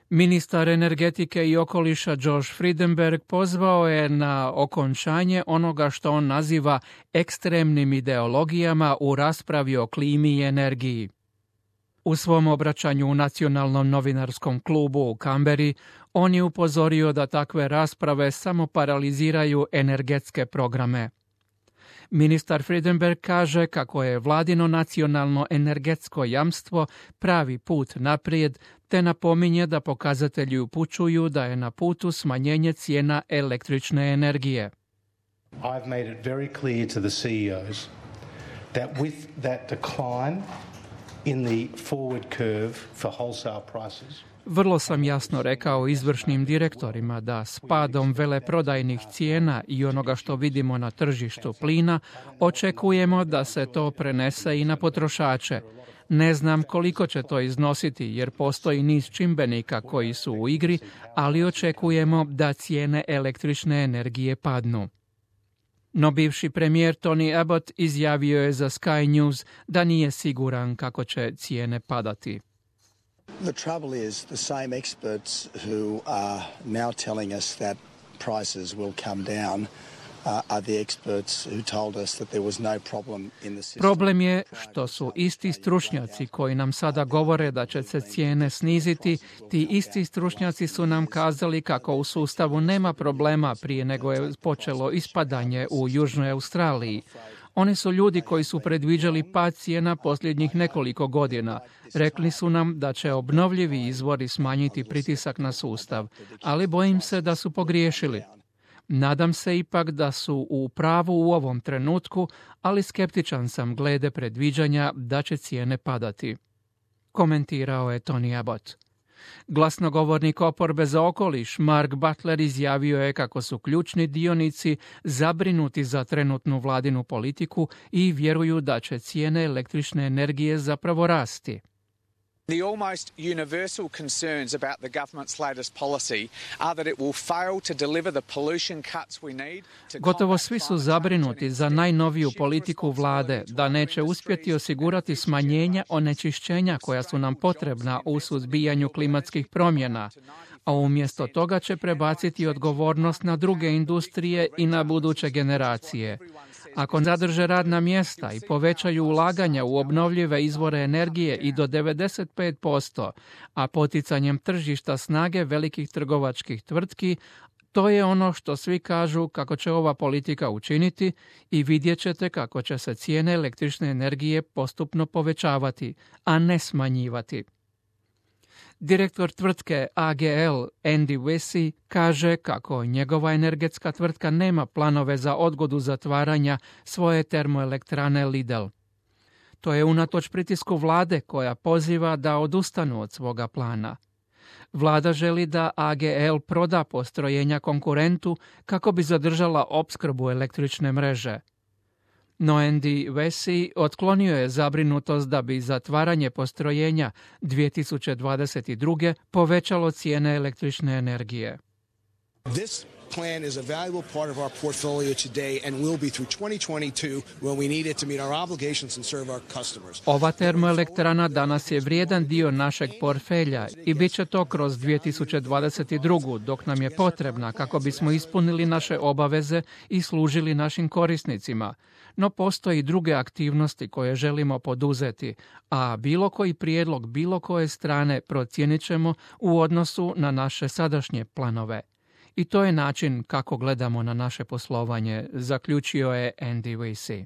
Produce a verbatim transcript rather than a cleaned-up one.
Ministar energetike i okoliša Josh Frydenberg pozvao je na okončanje onoga što on naziva ekstremnim ideologijama u raspravi o klimi i energiji. U svom obraćanju u Nacionalnom novinarskom klubu u Kamberi, on je upozorio da takve rasprave samo paraliziraju energetske programe. Ministar Frydenberg kaže kako je vladino nacionalno energetsko jamstvo pravi put naprijed, te napominje da pokazatelji upućuju da je na putu smanjenje cijena električne energije. I've made it very clear to the C E Os that with that decline in the forward curve for wholesale prices. Vrlo sam jasno rekao izvršnim direktorima da s padom veleprodajnih cijena i onoga što vidimo na tržištu plina, očekujemo da se to prenese i na potrošače. Ne znam koliko će to iznositi jer postoji niz čimbenika koji su u igri, ali očekujemo da cijene električne energije padnu. No bivši premijer Tony Abbott izjavio je za Sky News da nije siguran kako će cijene padati. The trouble is the same experts who are now telling us that prices will come down uh, are the experts who told us that there was no problem in the system. Problem je što su isti stručnjaci koji nam sada govore da će se cijene sniziti, ti isti stručnjaci su nam kazali kako u sustavu nema problema prije nego je počelo ispadanje u Južnoj Australiji. Oni su ljudi koji su predviđali pad cijena posljednjih nekoliko godina. Rekli su nam da će obnovljivi izvori smanjiti pritisak na sustav, ali bojim se da su pogriješili. Nadam se ipak da su u pravu u ovom trenutku, ali skeptičan sam glede predviđanja da će cijene padati. Komentirao je Tony Abbott. Glasnogovornik oporbe za okoliš Mark Butler izjavio je kako su ključni dionici zabrinuti za trenutnu vladinu politiku i vjeruju da će cijene električne energije zapravo rasti. The almost universal concerns about the government's latest policy are that it will fail to deliver the pollution cuts we need to Gotovo svi su zabrinuti za najnoviju politiku vlade, da neće uspjeti osigurati smanjenja onečišćenja koja su nam potrebna u suzbijanju klimatskih promjena, a umjesto toga će prebaciti odgovornost na druge industrije i na buduće generacije. Ako zadrže radna mjesta i povećaju ulaganja u obnovljive izvore energije i do devedeset pet posto, a poticanjem tržišta snage velikih trgovačkih tvrtki, to je ono što svi kažu kako će ova politika učiniti i vidjet ćete kako će se cijene električne energije postupno povećavati, a ne smanjivati. Direktor tvrtke A G L Andy Vesey kaže kako njegova energetska tvrtka nema planove za odgodu zatvaranja svoje termoelektrane Lidl. To je unatoč pritisku vlade koja poziva da odustanu od svoga plana. Vlada želi da A G L proda postrojenja konkurentu kako bi zadržala opskrbu električne mreže. No Andy Vesey otklonio je zabrinutost da bi zatvaranje postrojenja dvije tisuće dvadeset druge povećalo cijene električne energije. This plan is a valuable part of our portfolio today and will be through twenty twenty-two when we need it to meet our obligations and serve our customers. Ova termoelektrana danas je vrijedan dio našeg portfelja i bit će to kroz dvije tisuće dvadeset drugu dok nam je potrebna kako bismo ispunili naše obaveze i služili našim korisnicima. No postoji druge aktivnosti koje želimo poduzeti, a bilo koji prijedlog bilo koje strane procijenit ćemo u odnosu na naše sadašnje planove. I to je način kako gledamo na naše poslovanje, zaključio je Andy Vesey.